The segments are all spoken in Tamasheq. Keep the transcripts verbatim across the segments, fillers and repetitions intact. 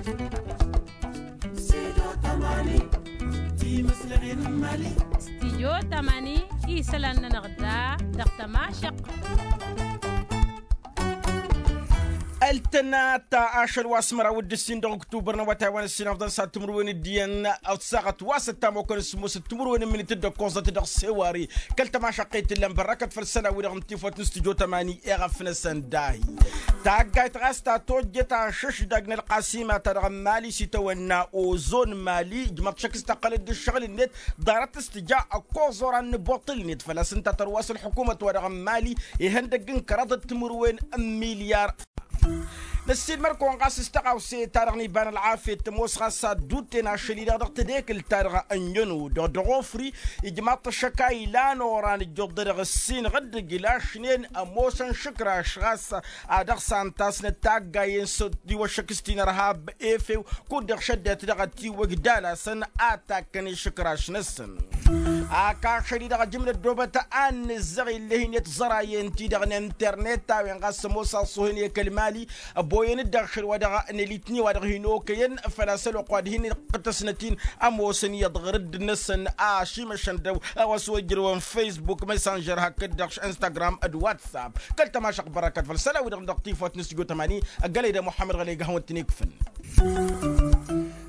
Studio tămani isălan-nănăɣ da dăɣ-tămašăq. Ăltănat ašăl wa s-măraw d-ǝssin dăɣ-oktubăr n-awătay wa n-ǝssin afḍăn s-ad-timǝrwen d-iyyăn ătsaɣăt wa s-ăttamokăn s-ămoosăt timǝrwen n-imǝnit d-ăkkoẓăt dăɣ-sewari. Kăl-tămašăqqet ǝllan bărrăkăt făll-isălan-wi-dăɣ n-tifot n-studio tămani iɣăf-năsăn dahi. Taggayt ɣas ta tojjet ašǝšdăg n-ălqasima-ta-dăɣ n-mali s-itawănna ozon mali ǝjmăḍ šăkk s-tăqqălăt d-ǝššăɣǝl-net. Ḍarăt s-tǝja ăkkoẓ oran n-ibuṭṭǝl-net făl-a-s ǝnta tărwa s-ălḥukumăt-wa-dăɣ n-mali ihăndăgg n-kăraḍăt timǝrwen n-milyar. Năssiilmăr-kăwăn ɣas s-tăɣawse-ta-dăɣ n-iba n-ălɣafyăt tămoos ɣas ad-dd-utten ašăl-i-dăɣ dăɣ-tedekǝlt-ta-dăɣ n-ănjăno dăɣ-dăɣ-ofri. Ijmaḍ-t ăššăk a ilan oran ǝjjuḍ-dăɣ ǝssin ɣǝddǝg ilašnen ămoosăn šǝkraš ɣas ad-dăɣ-s a ǝnta a-s nǝttaggayen s-tiwăššăk s-tinărhab efew kud-dăɣ šăddăt dăɣ-ătiwăj d-alasăn ad-takkăn išǝkraš-năsăn. Ak ašăl-i-dăɣ ăjǝmnăt dobăt a n-nǝzzăɣ ill'-e hin-e-t ẓărayăn-ti-dăɣ n-internet a-wen ɣas ămoos aṣṣuhăn i-kăl-mali. Ăboyăn-dd ašăl wa dăɣ-nălitni wa dăɣ-hin-okăyăn făl-a-s ălwăqq wa d-hin-iqqǝtăsnăt-in ămoosăn iyyăḍ ɣǝrǝdd-năsăn a šimăšăn dăw-a-wa s-wăr ǝjrăwăn facebook messenger hakd-dăɣ instagram d-whatsapp. Kăl-tămašăɣt bărăkăt făll-isălan-wi-dăɣ dăɣ-tifawt n-studio tămani. Ăggălăy d-muḥămmăd ɣălăy gahăwăn-t-in-ikfăn.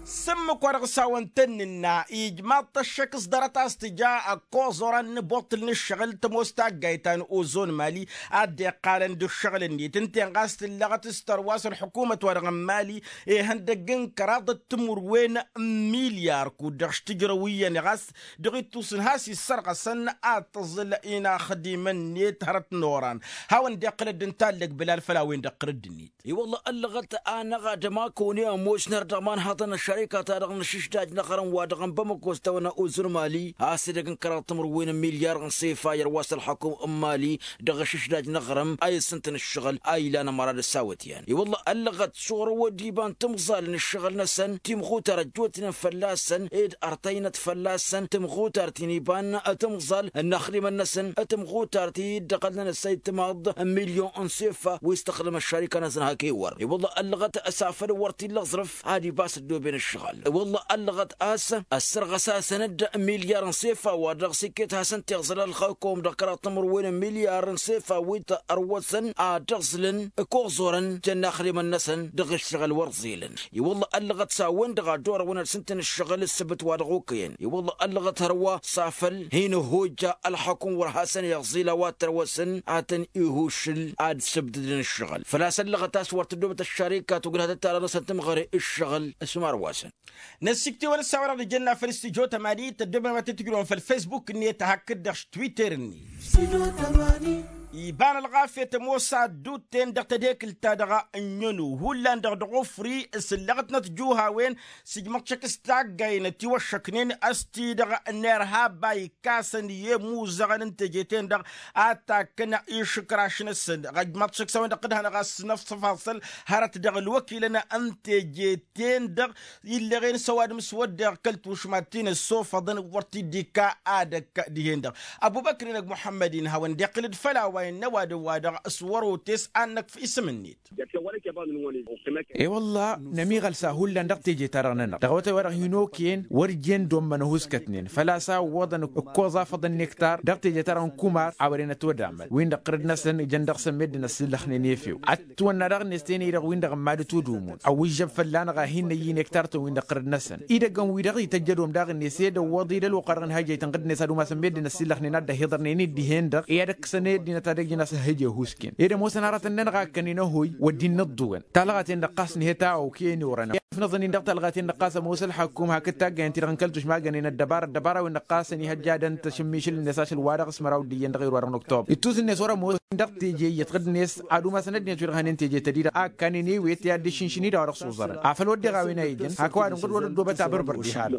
S-ǝmmǝk wa dăɣ-s hawăn-tăn-nǝnna ijmaḍ-t ăššăk s-ḍarăt a-s tǝja ăkkoẓ oran n-ibuṭṭǝl n-ǝššăɣǝl tămoos taggayt ta n-ozon mali. Ad-dd-iqqalăn d-ǝššăɣǝl-net ǝnta-en ɣas tǝllăɣăt s-tărwa s-ălḥukumăt-wa-dăɣ n-mali ihăndăgg n-kăraḍăt timǝrwen n-milyar kud-dăɣ s-tǝjrăw iyyăn ɣas dăɣ-ittus n-has-issărɣăsăn ad-tǝẓǝl inaxdimăn-net hărăt n-oran. Hawăn-dd-iqqǝlăd d-intallăg bǝlal făll-a-wen-dăɣ tărǝdd-net. I-wălla ăllăɣăt anăɣ-ad-ămakăwăn i-ămoosnăr dăɣ-imanhăḍăn n-ăššărika-ta-dăɣ n-ašǝšdaj n-aɣrǝm wa dăɣ-ănbămăkos tawănna ozǝr mali a-s edăgg n-kăraḍ timǝrwen n-milyar n-sefa i-ărwa s-ălxakǝw n-mali. Dăɣ-ašǝšdaj n-aɣrǝm a i-ǝssǝntăn ǝššăɣǝl a ilan ămăra d-ăssawăt i-an i-wălla ăllăɣăt s-orăwăd iba n-timẓal n-ǝššăɣǝl-năsăn timɣutar ăjjootnen fălla-săn ed ărtăynăt fălla-săn timɣutar ti n-iba n-timẓal n-inaxdimăn-năsăn timɣutar ti dd-ăɣălnăn ăssay timaḍ n-milyon n-sefa wi s-tăxdăm ăššarika-năsăn hak-ewăr i-wălla ăllăɣăt s-afăl wăr t-illa aẓrǝf ad-ibas ăddooben ǝššăɣǝl. I-wălla ăllăɣăt a-s ăssărɣăs-asăn-dd milyar n-sefa wa dăɣ-s iket hasăn-t-iẓǝl ălxăkom dăɣ-kăraḍ timǝrwen n-milyar n-sefa wi t-ărwăsăn ad-ăẓlǝn ăkoẓorăn jăn inaxdimăn-năsăn dăɣ-ǝššăɣǝl wăr ẓilăn. I-wălla ăllăɣăt s-a-wen-dăɣ a dd-orăwăn ad-sǝntăn ǝššăɣǝl ǝssǝbǝt wa dăɣ-okăyăn i-wălla ăllăɣăt hărwa s-afăl hin-ăhojja ălxăkum wăr hasăn-iẓil a-wa t-ărwăsăn ad-tăn-ihušǝl ad-sǝbdǝdăn ǝššăɣǝl făl-a-s ăllăɣăt a-s wăr tăddobăt ăššarika tugǝnhatăt-ta-dăɣ-năsăn tǝmɣăre ǝššăɣǝl s-marwasăn. Năssiktewăn ǝssawăr-dăɣ d-ijănna făll-studyo tămani tăddobem ad-t-tǝjrăwăn făll-facebook-net hakd-dăɣ s-twitter-net. Iba n-ălɣafyăt ămoos ad-dd-utten dăɣ-tedekǝlt-ta-dăɣ n-ănnu hullan-dăɣ dăɣ-ofri s-ǝllăɣătnăt juhawen s-ijmăḍ šăkk s-taggay n-ătiwăššăknen a-s ti-dăɣ n-irhab a ikkasăn i-imuzăɣăn n-teje-ten-dăɣ ad-takkăn išǝkraš-năsăn. Ăjmaḍ šăkk s-a-wen-dăɣ t-dd-hanăɣ a-s năfsăfasăl hărăt dăɣ-ălwăkilăn n-teje-ten-dăɣ illăɣen s-ăwadǝm s-wădden kăl-tušmat ti n-ăssofăḍăn wăr t-dd-ikka ad-ăkk dihen-dăɣ. Ăbubăkr-in ăgg muḥămmăd-in hawăn-dd-iqqǝl-dd făll-a-wa innă ăwadǝm wa dăɣ-s wăr-otes ad-năkf isǝm-net. E-wălla nămiɣăl s-a hullan dăɣ-teje-ta-dăɣ-nănăɣ dăɣ-awătay wa dăɣ-hin-okăyăn wăr jen dd-ommăn ăhuskătnen făl-a-s a ǝwwăḍăn ǝkkoẓ afăḍăn n-ektar dăɣ-teje-ta-dăɣ n-kumar a wăren ătwădamăl win-dăɣ tărǝd-năsăn ijăn dăɣ-săn meddǝn ăssillăxnen efew. Ătwănna daɣ-net tenăy-dăɣ win-dăɣ ămmadǝt udumon ăwwǝžžăb fălla-năɣ a hin-năyy n-ektar-tăn win-dăɣ tărǝd-năsăn idăggăn-wi-dăɣ ităjjădom daɣ-net ed ăwwăḍ-i d-ălwăqqa-dăɣ n-hăjăy tăn-ɣǝd-net ad-umasăn meddǝn ăssillăxnen ad-dd-ăhiḍărnen-dd dihen-dăɣ i-ad-ǝkkǝsăn ăddinăt ad-ăjǝn a-s ăhhǝj ăhuusken ed ămoosăn aratăn-nănăɣ a ǝkkănen ăhoy wăr dd-innă ǝḍḍǝwăn talɣa-ten-dăɣ ɣas nǝhet a okăyăn i-orăn. Ifnăẓăn-in dăɣ-talɣa-ten-dăɣ ɣas ămoos ălxakkum hakd taggayăn-ti-dăɣ n-kăl-tušma ăggănen ăddăbara ăddăbara-wen-dăɣ ɣas ănihăjjadăn tašǝmmišǝl-net ašăl wa dăɣ-s măraw d-iyyăn dăɣ-irwa-dăɣ n-oktobăr ittus-net wăr-ămoosăn dăɣ-teje iyyăt ɣǝd-net ad-umasăn ăddinăt wi-dăɣ hănen teje tădi-dăɣ a ǝkkanen ewet i-ad-dd-išǝnšǝn-i d-a-wa dăɣ-s oẓărăn afăl wădden a-wen a ijăn hak ăwadǝm ɣǝd wăr-ăddoobăt abărbăr diha-dăɣ.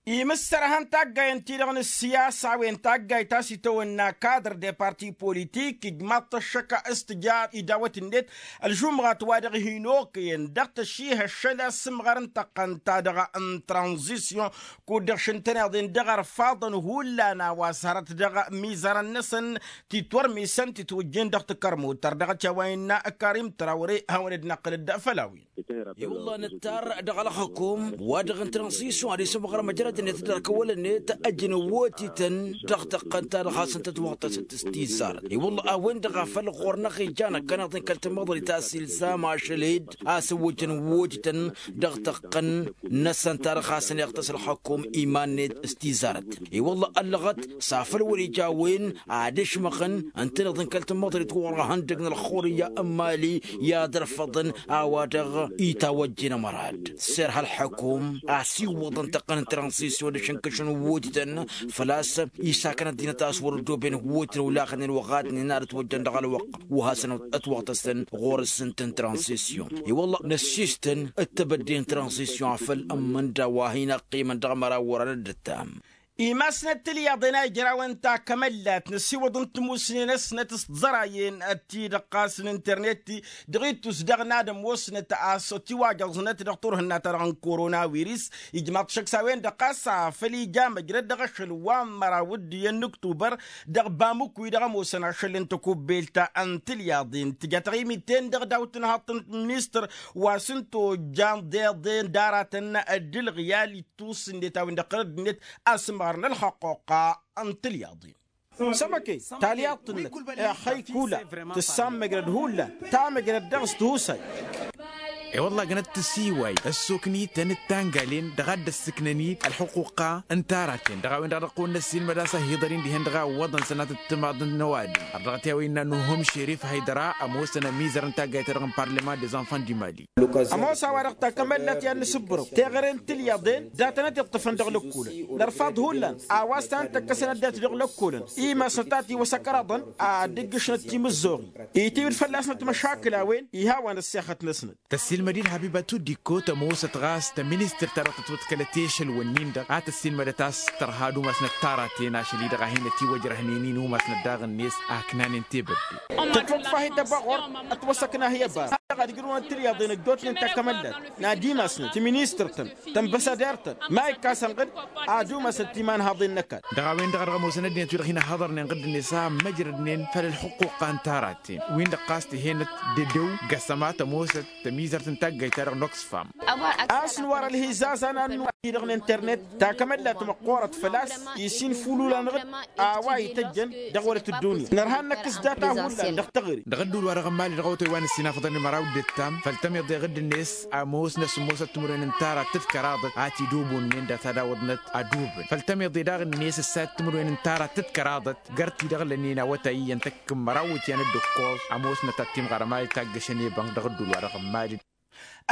Imǝssărhăn taggayăn-ti-dăɣ n-ǝssiyasa a-wen taggayt a-s itawănna kadr de parti politik ǝjmaḍ-t ăššăk s-tǝja idawăt-net ălžumɣat wa dăɣ-hin-okăyăn dăɣ-tăšihăššăl asǝmɣar n-tăqqăn-ta-dăɣ n-tranzisyon kud-dăɣ šǝntăneḍ-en dăɣ-ărfaḍăn hullan a-wa s-hărăt dăɣ-mizarăn-năsăn titwărmisăn titwǝjjen dăɣ-tikărmut tărdăɣăt i-a-wa innă karim trawre hawăn-dd-năqqǝlăd făll-a-wen. I-wălla nǝttar dăɣ-ălxukum wa-dăɣ n-transisyon ad-isǝmɣăr măjrăd-net d-ărkăwăl-net ăjnăwotităn dăɣ-tăqqăn ta dăɣ-hasăn-tătwăɣtăsăt s-tizzarăt. I-wălla a-wen-dăɣ a făl ɣur-năɣ ijan ăkkăneḍ n-kăl-tămăḍrit a-s ilzam ašăl-ed a-s ăwwăjăn wotităn dăɣ-tăqqăn-năsăn ta dăɣ-hasăn-iɣtăs ălxukum iman-net s-tizzarăt. I-wălla ăllăɣăt s-afăl wăr-ija a-wen ad-ǝšmăɣăn ǝntăneḍ n-kăl-tămăḍrit ɣur-ihăndăg n-ălxurǝyya n-mali i-ad-ărfăḍăn a-wa-dăɣ itawăjjen ămărad s-irha ălxukum a-s iwwăḍăn tăqqăn n-transisyon d-ašǝnkǝšăn wotităn făl-a-s isakăn ăddinăt a-s wăr-ăddooben wotităn olaxnen wăɣadnen ad-ătwăjjăn dăɣ-ălwăqq wa hasăn-ătwăɣtăsăn ɣur-s ǝnta n-transisyon. I-wălla năssiistăn d-tebădde n-transisyon afăl ǝmmǝnda wa hin-ăqqimăn dăɣ-măraw wăran d-ǝttam. Imasnăt tǝlyaḍen a ijrawăn takămăllat năsiwăḍ n-timusnen-năsnăt s-tiẓărayen ti-dăɣ ɣas n-internet-i dăɣ-ittus daɣ n-ad-ămoosnăt a-s tiwajăẓnăt dăɣ-turhǝnna-ta-dăɣ n-korona wiris. Ijmaḍ-t šăkk s-a-wen-dăɣ ɣas a făl ija măjrăd dăɣ-ašăl wa n-măraw d-iyyăn n-ǝktubăr dăɣ-bamǝkkuy dăɣ-ămoosăn ašăl n-tăkubbelt n-tǝlyaḍen tǝja taɣimit-en-dăɣ daw-tǝnhaḍt n-ministăr wa s-ǝnta ojan deḍen d-aratăn d-ǝlɣǝyal ittus ǝnnet a-wen-dăɣ kărăd-net asǝmɣar n-ălxăqquqa n-tǝlyaḍen. Sămăke talyaḍt-năk ixăy kula tǝssan măjrăd hullan ta măjrăd dăɣ-s tihusay. I-wălla gănăt tǝsiway ăssoknităn d-tangalen dăɣ-ad-dd-ăssǝknăn-dd ălxuquqa n-taraten dăɣ-a-wen-dăɣ dăɣ-kăwăn-năssiilmăd a-s ahhiḍăr-in dihen dăɣ-a ǝwwăḍăn sănatăt timaḍ n-ăwadǝm ărdăɣăt i-a-wa innă nuhum šerif haydăra ămoosăn ămizăr n-taggayt-ta-dăɣ n-parlăman des enfants du mali. Ămoos a-wa-dăɣ takămăllat i-ad-nǝsǝbbărăw teɣăre n-tǝlyaḍen datăn-ătiṭṭǝfăn dăɣ-lăkkolăn nărfaḍ hullan a-wa s-tanăt-tăkkăsăn ăddinăt dăɣ-lăkkolăn imasnăt a tiwăsăkrăḍăn ad-dd-ǝjjǝšnăt timǝzzoɣin itiwǝd fălla-snăt măšakǝl a-wen. Ihawăn ăssexăt-năsnăt. Tăssiilmăd-dd habibatu dikko tămoosăt ɣas tăministirt-ta-dăɣ tătwăḍkălăt i-ašăl-wǝnnin-dăɣ a tăssiilmădăt a-s tărha ad-umasnăt taraten ašăl-i-dăɣ a hin-ătiwăjrăhnen-in umasnăt daɣ-net aknanen tebădde. Tătwăḍfa-hi tăbăɣor ătwăsăkna hi-ăbar dăɣ-ad-ǝjrǝwăn tǝlyaḍen ăjjootnen takămăllat n-ad-imasnăt tăministirt-tăn tănbăsadert-tăn ma ikkas ănɣǝd ad-umasăt timanhaḍen n-ăkall. Dăɣ-a-wen-dăɣ a dăɣ-ămoosăn ăddinăt-wi-dăɣ hin-ăhhăḍărnen ɣǝddǝnet a măjrădnen făll-ălxuqquqa n-taraten win-dăɣ ɣas tǝhenăt d-edăw găsăma tămoosăt tămizărt n-taggayt-ta-dăɣ n-oxfam. A-s nǝwar ălhizazan a n-nǝwar-i-dăɣ n-internet takămăllat măqqoorăt făl-a-s isinfulul-anăɣ-dd a-wa ităjjăn dăɣ-wălăt ăddunya nărha ad-năkkǝs data hullan dăɣ-teɣăre. Dăɣ-ădduul-wa-dăɣ n-mali dăɣ-awătay wa nǝssinafăḍăn i-măraw d-ǝttam făll-tămiḍe ɣǝdd-net ămoosnăt sǝmmosăt timǝrwen n-tara tǝttkăraḍăt a t-dd-obonnen data d-awăḍnăt ad-obǝn făll-tămiḍe daɣ-net ǝssayăt timǝrwen n-tara tǝttkăraḍăt găr-t-i-dăɣ lănnen awătay iyyăn tăkk n-măraw ityăn d-ǝkkoẓ. Ămoosnăt ad-t-imɣăr ămali taggăšăn i-bănk dăɣ-ădduul-wa-dăɣ n-mali.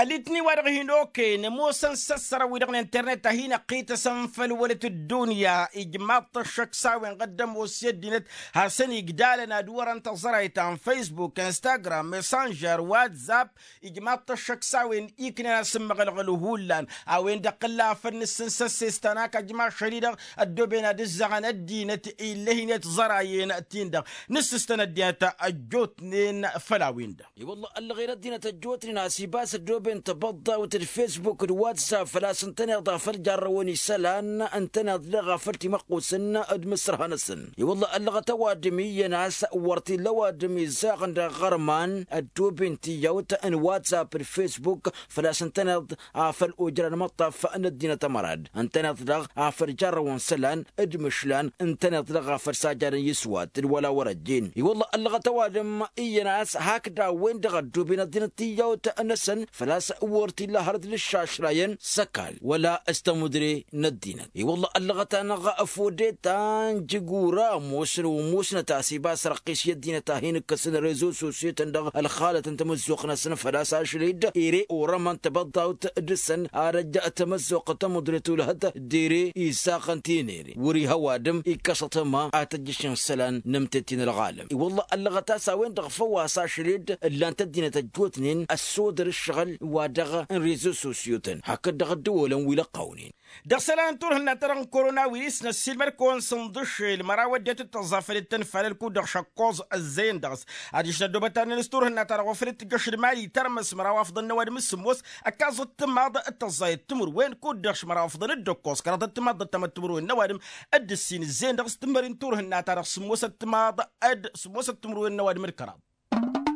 Ălitni-wa-dăɣ hin-okăyăn ămoosăn s-ăssărăn-wi-dăɣ n-internet a hin-ăqqităsăn făll-wălăt ăddunya ijmaḍ-t ăššăk s-a-wen ɣǝddăm osyăt dinăt hasăn-igdalăn ad-wărăn tăẓrayt ta n-facebook instagram messenger whatsapp. Ijmaḍ-t ăššăk s-a-wen iknen asǝmmăɣălɣăl hullan a-wen-dăɣ tălla afăl nǝssǝn s-ăssestan ak ăjmašăl-i-dăɣ ăddooben ad-ǝzzăɣăn ăddinăt ill'-e hin-e-tiẓărayen-tin-dăɣ nǝssǝstăn ăddinăt ăjjootnen făll-a-wen-dăɣ. I-wălla ăllăɣen ăddinăt ăjjootnen a-s ibas ăddooben tăbăḍḍawt d-facebook d-whatsapp făl-a-s ǝntăneḍ afăl jarrăwăn isălan ǝntăneḍ daɣ afăl timăqqusăn d-imǝssărha-năsăn. I-wălla ăllăɣăt ăwadǝm iyyăn a-s wăr t-illa ăwadǝm izzaɣăn dăɣ-iɣărman ăddooben tiyyawt n-whatsapp d-facebook făl-a-s ǝntăneḍ afăl ojran imăṭṭaf n-ăddinăt ămărad ǝntăneḍ daɣ afăl jarrăwăn isălan d-imǝšlan ǝntăneḍ daɣ afăl sajadăn iswat d-wăla wăr-ăjjeen. I-wălla ăllăɣăt ăwadǝm iyyăn a-s hakd a-wen-dăɣ ăddooben ăddinăt tiyyawt-năsăn făl-a-s wăr t-illa hărăt d-ǝššašrayăn s-ăkall wăla s-tămudre n-ăddinăt. I-wălla ăllăɣăt-anăɣ ăfodeta n-jigura ămoosăn wa ămoosnăt a-s ibas răqqis i-ăddinăt a hin-ǝkkăsăn rezo sosyo-tăn dăɣ-ălxalăt n-tamǝzzuɣt-năsăn făl-a-s ašăl-dd ere orămăn tăbăḍḍawt dăɣ-săn ad-ăjj tamăzzuɣt tamǝḍret ulhăt d-ere izzaɣăn tinere wăr-iha ăwadǝm ikkăsăt ăma ad-tăjjăšăn isălan n-amtet-i n-ălɣalăm. I-wălla ăllăɣăt a-s a-wen-dăɣ făw a-s ašăl-dd ǝllan-t ăddinăt ăjjootnen ăssodăr ǝššăɣǝl wa dăɣ-n rezo sosyo-tăn hakd dăɣ-ăddăwolăn wi lăqqawnen. Dăɣ-isălan n-turhǝnna-ta-dăɣ n-korona wiris năssiilmăd-kăwăn sǝnḍǝšel măraw ăddinăt d-tăẓẓa făll-dd-tăn fal ǝlkud dăɣ-šăkkoẓ ăzzeyăn dăɣ-s adiš n-ăddoobăt-anăn s-turhǝnna-ta-dăɣ wa făl t-tǝjjăš d-mali tărmăs măraw afḍăn n-ăwadǝm s-sǝmmos ăkkaẓăt timaḍ d-tăẓẓayăt timǝrwen kud-dăɣ šmăraw afḍăn d-ǝkkoẓ kăraḍăt timaḍ d-ăttămăt timǝrwen n-ăwadǝm d-ǝssin ǝzzeyăn dăɣ-s tǝmmări n-turhǝnna-ta-dăɣ sǝmmosăt timaḍ d-sǝmmosăt timǝrwen n-ăwadǝm d-kăraḍ.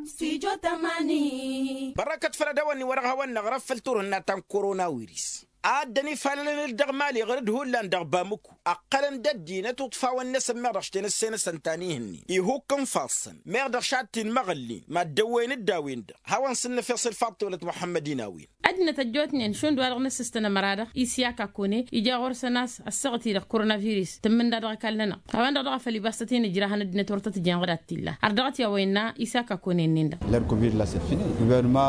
Stujo tămani. Bărrăkăt făll-ad-ăwănni-wa-dăɣ hawăn-năɣrăf făll-turhǝnna ta n-korona wiris a ăddăn ifalălăn-dd dăɣ-mali ɣur-dd hullan dăɣ-bamǝku ăqqălăn-dd ăddinăt uṭfawăn-năsăn meɣ dăɣ-š tenăsse-năsăn ta n-ihǝnnin ihukk n-ifassăn meɣ dăɣ-š ad-t-in-măɣǝllin mad-dăwwăyăn-dd a-wen-dăɣ. Hawăn-săn nǝfeṣ i-ălfaḍ tawlăt muḥămmăd-in a-wen. Ăddinăt ăjjootnen šund wa-dăɣ nǝssǝstăn ămăra-dăɣ isyak akone ija ɣur-săn a-s ăssaɣăt-i-dăɣ koronavirus tǝmmǝnda dăɣ-ăkall-nănăɣ. A-wen-dăɣ dăɣ-a făl ibas tăt-in-ǝjrahăn ăddinăt wăr tăt-ǝjrăhăn ɣǝd ad-t-illa har dăɣ-t i-a-wa innă isyak akone-nin-dăɣ. Ler covid la săfine guvernăma.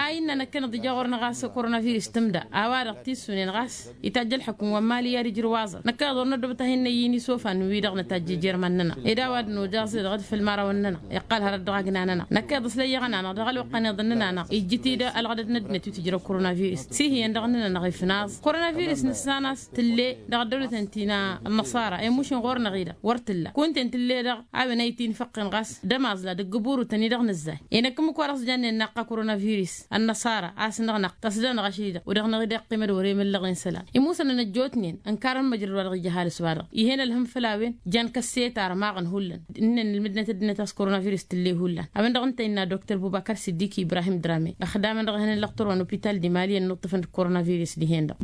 A innă năkkăneḍ ija ɣur-năɣ a-s koronavirus tǝmda a-wa-dăɣ tissunen ɣas itajj ălxukǝm wa n-mali i-ad-ijrǝw aẓăr năkkăneḍ wăr năddobăt a hin-năyyin isofan wi-dăɣ nătajj ijirman-nănăɣ ed a-wa dd-nojăẓ-i-dăɣ d-făll-imărawăn-nănăɣ. Iqqal hărăt dăɣ-agna-nănăɣ năkkăneḍ ăslăyyăɣăn-anăɣ dăɣ-ălwăqq-ănniḍăn-nănăɣ ijjǝt-dd ălɣădăd n-ăddinăt wi tǝjrăw koronavirus s-ihǝyăn dăɣ-nănăɣ ifnaẓ koronavirus nǝssan a-s tǝlle dăɣ-ăddăwlăten ti n-ănnăṣara i-mušin ɣur-năɣ-i-dăɣ wăr tǝlla kunta-en tǝlle-dăɣ. A-wen a itǝyyǝn făqqen ɣas d-ămaẓla dăgg-ǝburutăn-i-dăɣ nǝzzay. Inăkk ǝmmǝk wa dăɣ-s jannen naqqa koronavirus ănnăṣara a-s năɣnăɣ tăsdănăɣ ašăl-i-dăɣ u-dăɣ năɣ-i-dăɣ ăqqimăd wăr-emǝllăɣen isălan imusănăn ăjjootnen ǝnkarăn măjrăd wa dăɣ-ija ăhalǝs-wa-dăɣ. Ih'-en ălhǝm făll-a-wen jan kăsset armaɣăn hullan ǝnnan ǝlmǝdnăt ăddinăt a-s koronavirus tǝlle hullan a-wen-dăɣ ǝnta innă doktor bubakar siddik ibrahim drame ăxdamăn dăɣ-ehăn n-lăqtor wa n-opital d-imali i-ănnuṭṭǝfăn d-koronavirus dihen-dăɣ.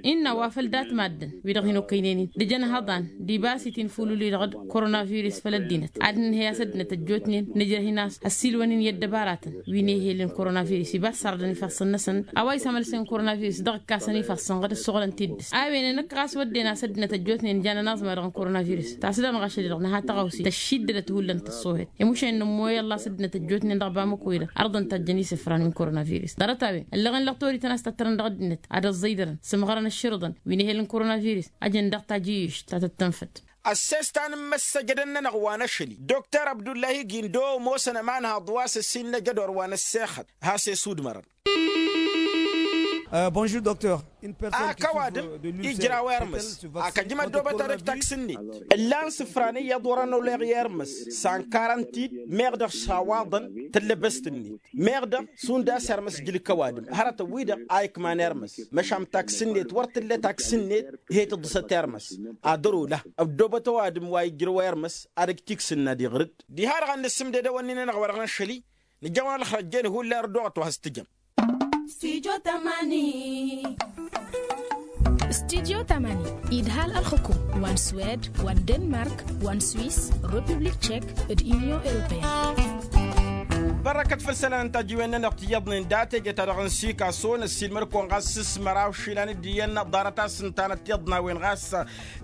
Innă wa făl dat-maddǝn wi-dăɣ hin-okăynen-in d-ijăn hăḍan d-ibas itinfulul-i-dăɣ d-koronavirus făll-ăddinăt ad-nǝnhăy a-s ăddinăt ăjjootnen nǝjrăh-in a-s ăssiilwăn-in i-ăddăbaratăn wi n-ehel n-koronavirus ibas sardăn ifassăn-năsăn. A-wa isămălsăn koronavirus dăɣ-ǝkkasăn ifassăn ɣǝd ăssuɣǝlăn tiddǝst a-wen-en ǝkk ɣas wădden a-s ăddinăt ăjjootnen jan ănaẓma dăɣ-n-koronavirus tasdănăɣ ašăl-i-dăɣ nǝha tăɣawse tăššiddădăt hullan tăṣṣohet. Imušen nǝmmoy ăllas ăddinăt ăjjootnen dăɣ-bamăkoy-dăɣ ărḍăn tajjăn isǝfran wi n-koronavirus ḍarăt-a-wen ăllăɣen lăqtor-i tăn-a-s tăttărăn dăɣ-ăddinăt ad-ăẓẓăydărăn sǝmɣărăn ăšširǝḍăn wi n-ehel n-koronavirus. Ăjăn dăɣ-tajǝyyǝšt ta tăttănfăt. Ăsses ta n-imăssăjădăn-nănăɣ wa n-ašăl-i doktor abdullahi gindo ămoosăn ămanhăḍ wa s-ăssiilnăj ădor wa n-ăssexăt has-e-sudmărăn. Bonjour doktor. Ak ăwadǝm ijraw ermǝs ak ăjmăd dobăt-ad-ăj taksǝnnet ǝllan sǝfran iyyăḍ wăr-ănoleɣ i-ermǝs s-ankarăn-t-dd meɣ dăɣ-s awaḍăn tǝllăbăst-net meɣ dăɣ-s und a-s ermǝs jǝlǝk ăwadǝm hărătăn-wi-dăɣ a ikman ermǝs. Măšan taksǝnnet wăr tǝlla taksǝnnet he-tǝḍǝsăt ermǝs ad-ărolăh ăddobăt ăwadǝm wa ijrăw ermǝs ad-ăj tiksǝnna diɣrǝd. Diha-dăɣ ad-nǝssǝmded ewănni-nănăɣ wa dăɣ-năššăl-i nǝjăwăn ălxărăt jen hullan ărdoɣăt wa has-tǝjăm. Studyo tamani. Studyo tamani idhal ălxǝkum wa n-swed wa n-denmark wa n-swis, republik tšek d-inyon europeyăn. Bărrăkăt făll-isălan n-tajǝwen-nănăɣ tiyyăḍnen dat-eje-ta-dăɣ n-sikaso n-ăssiilmăd-kăwăn ɣas s-măraw išilan d-iyyăn ḍarăt-as ǝnta n-ăttiyyăḍ n-a-wen ɣas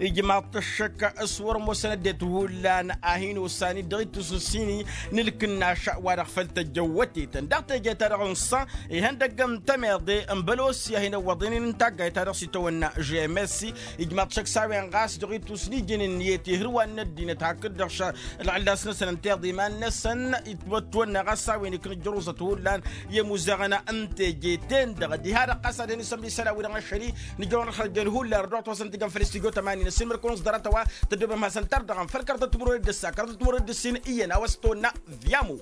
ijmaḍ-t ăššăk s-wăr-ămoosăn ăddinăt hullan a hin-osan-dd dăɣ-ittus n-sini n-ǝlkǝnnaš wa dăɣ-făl tăjjăwwătetăn dăɣ-teje-ta-dăɣ n-sa ihăndăgg n-tămeḍe n-bălossi a hin-ăwwăḍen-in n-taggayt-ta-dăɣ s-itawănna žemesi. Ijmaḍ-t šăkk s-a-wen ɣas dăɣ-ittus n-ijăn ǝnniyăt ihǝrwan n-ăddinăt hakd-dăɣ š-ălɣǝllas-năsăn ǝnta iḍa iman-năsăn. Itwătwănna ɣas a-wen ikna ǝjjăruẓăt hullan i-ămuzeɣăn n-teje-ten-dăɣ diha-dăɣ ɣas ad-hin-isămd isălan-wi-dăɣ n-ašăl-i nǝjrăwăn ălxălăjjăn hullan ărdăɣăt wa s-ăntijăn făll-istudyo tămani n-ăssiilmăd-kăwăn-s ḍarăt-a-wa tăddobem hasăn-tard dăɣ-anfăl kăraḍăt timǝrwen d-ǝssa kăraḍăt timǝrwen d-ǝssin iyyăn a-wa s-tăwănna. Viamo.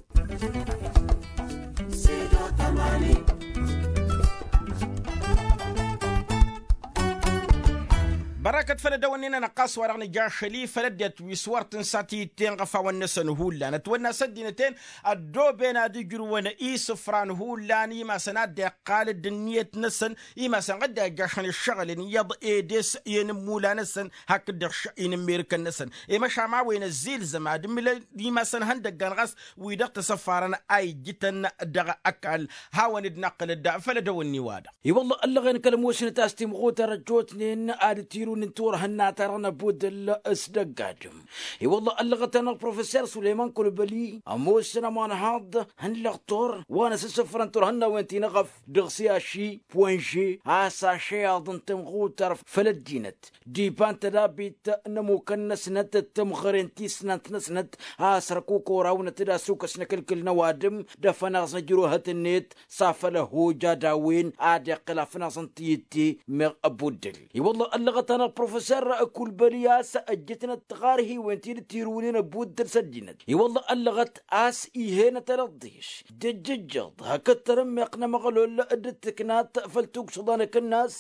Bărăkăt făll-ăddăwănni-nănăɣ ɣas wa dăɣ-nǝjašăl-i făll-ăddinăt wi s-wăr tǝnsa tiyǝtte n-iɣăfawăn-năsăn hullan ătwănna a-s ăddinăt-en ăddooben ad-ǝjrǝwăn isǝfran hullan imasăn ad-dd-iqqal d-ǝnniyăt-năsăn. Imasăn ad-dd-ijjašăn ǝššăɣǝl-en iyyăḍ ed e-s i-inǝmmula-năsăn hakd-dăɣ š-inǝmmerǝkăn-năsăn. I-măšan a-wen ăzzilzăm ad-ǝmmǝlăn imasăn ihăndăggan ɣas wi-dăɣ tăsăffarăn a ijjǝtăn dăɣ-ăkall. Hawăn-dd-năqqǝlăd făll-ădăwănni-wa-dăɣ. I-wălla ăllăɣen kăl-ămoosnăt a-s timɣutar ăjjootnen ad-ǝtirǝwnen turhǝnna-ta-dăɣ n-abudǝl s-dăgg-adǝm. I-wălla ăllăɣăt-anăɣ professor sulăyman kălbăli ămoosăn ămanhaḍ n-lăqtor wa n-asǝssǝfrăn turhǝnnawen ti n-eɣăf dăɣ-siyaši poinže a-s ašăyaḍ n-timɣutar făll-ăddinăt d-iba n-tădabit n-ămukăn-năsnăt d-timɣăre n-tisnant-năsnăt a-s ărkuk orawnăt d-asukăs n-akǝlkǝl n-ăwadǝm d-afănaẓ n-ăjrăwhăt-net s-afăl ăhhoj ad-a-wen ad-iqqǝl afănaẓ n-tiyǝtte. Meɣ ăbuddǝl i-wălla ăllăɣăt-anăɣ. professer kulbăli a-s ăjjătnăt tiɣarhiwen ti dd-tirǝwnen ăbbuddăl s-ăddinăt i-wălla ăllăɣăt a-s ih'-enăt ălăḍḍiš d-ǝjjǝjjăḍ hakd tărǝmmeɣt n-amăɣlol d-ǝttǝknat făll-tuksǝḍa n-akǝnnas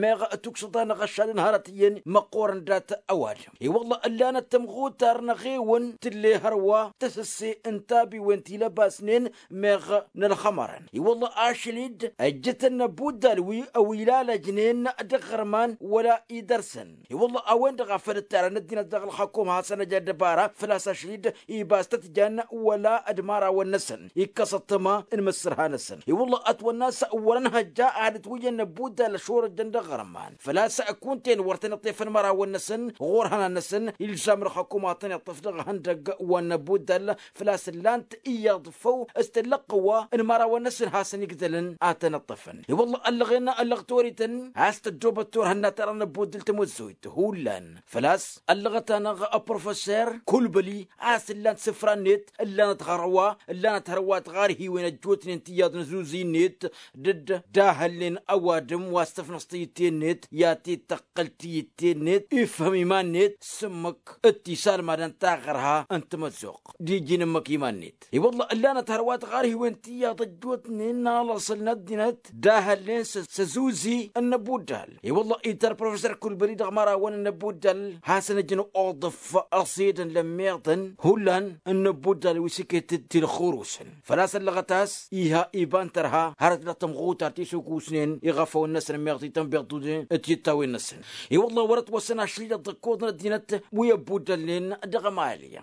meɣ tuksǝḍa n-aɣăššad n-hărăt iyyăn măqqoorăn dat-ăwadǝm i-wălla ǝllanăt tămɣutar n-eɣewăn tǝlle hărwa tăsǝsse n-tabiwen ti lăbasnen meɣ n-ălxămărăn i-wălla ašăl-dd ăjjătăn n-ăbbuddal wi ăwilalăjnen d-aɣărman wăla idărsăn i-wălla a-wen-dăɣ a făl ǝttarăn ăddinăt dăɣ-ălxăkum hasăn-ăj ăddăbara făl-a-s ašăl-dd ibas tăt-jan wăla d-imărawăn-năsăn ikkăs ăṭṭăma n-imǝssǝrha-năsăn i-wălla ătwănna a-s wăr-ănhăjja ad-ǝtwǝjjăn n-ăbbuddal ăšorăjjăn d-aɣărman făl-a-s kunta-en wăr tăn-iṭṭef ănmărawăn-năsăn ɣur-ihănan-năsăn ilzam ălxăkum ad-tăn-iṭṭef dăɣ-ihăndăgg wa n-ăbbuddal făl-a-s ǝllan-t iyyăḍ făw s-tăllăqqǝwwa n-imărawăn-năsăn hasăn-igdălăn ad-tăn-ǝṭṭăfăn i-wălla ăllăɣen ăllăɣ torităn a-s tăddoobăt turhǝnna tărăn ăbbuddǝl tămăzzojt hullan făl-a-s ăllăɣăt-anăɣ professer kulbăli a-s ǝllan-t isǝfra-net ǝllanăt hărwa ǝllanăt hărwa tiɣarhiwen ăjjootnen tiyyăḍ n-azuzi-net d-dd-dahălnen ăwadǝm wa s-tăfnăẓ tiyǝtte-net i-ad-t-dd-tăqqăl tiyǝtte-net ifhǝm iman-net s-ǝmmǝk d-tisalmadăn taɣărha n-tamăzzuɣt d-iji n-ǝmmǝk iman-net i-wălla ǝllanăt hărwa tiɣarhiwen tiyyăḍ ăjjootnen n-alăṣăl n-ăddinăt dahălnen s-azuzi n-ăbuddal i-wălla ităr professer kulbăli dăɣ-imărawăn n-ăbuddal hasăn-ǝjǝn oḍǝf ăṣedăn lămmiḍăn hullan n-ăbuddal wi s-iket-dd tilxurusăn făl-a-s ăllăɣăt a-s iha iba n-tărha hărăt dăɣ-tămɣutar ti s-okusnen iɣăfăwăn-năsăn ămmiḍ ti tănbiḍt-uden d-tiṭṭawen-năsăn i-wălla wăr-ătwăsăn ašăl-i-dăɣ d-ăkkoḍăn ăddinăt wi ăbbuddălnen dăɣ-ămali.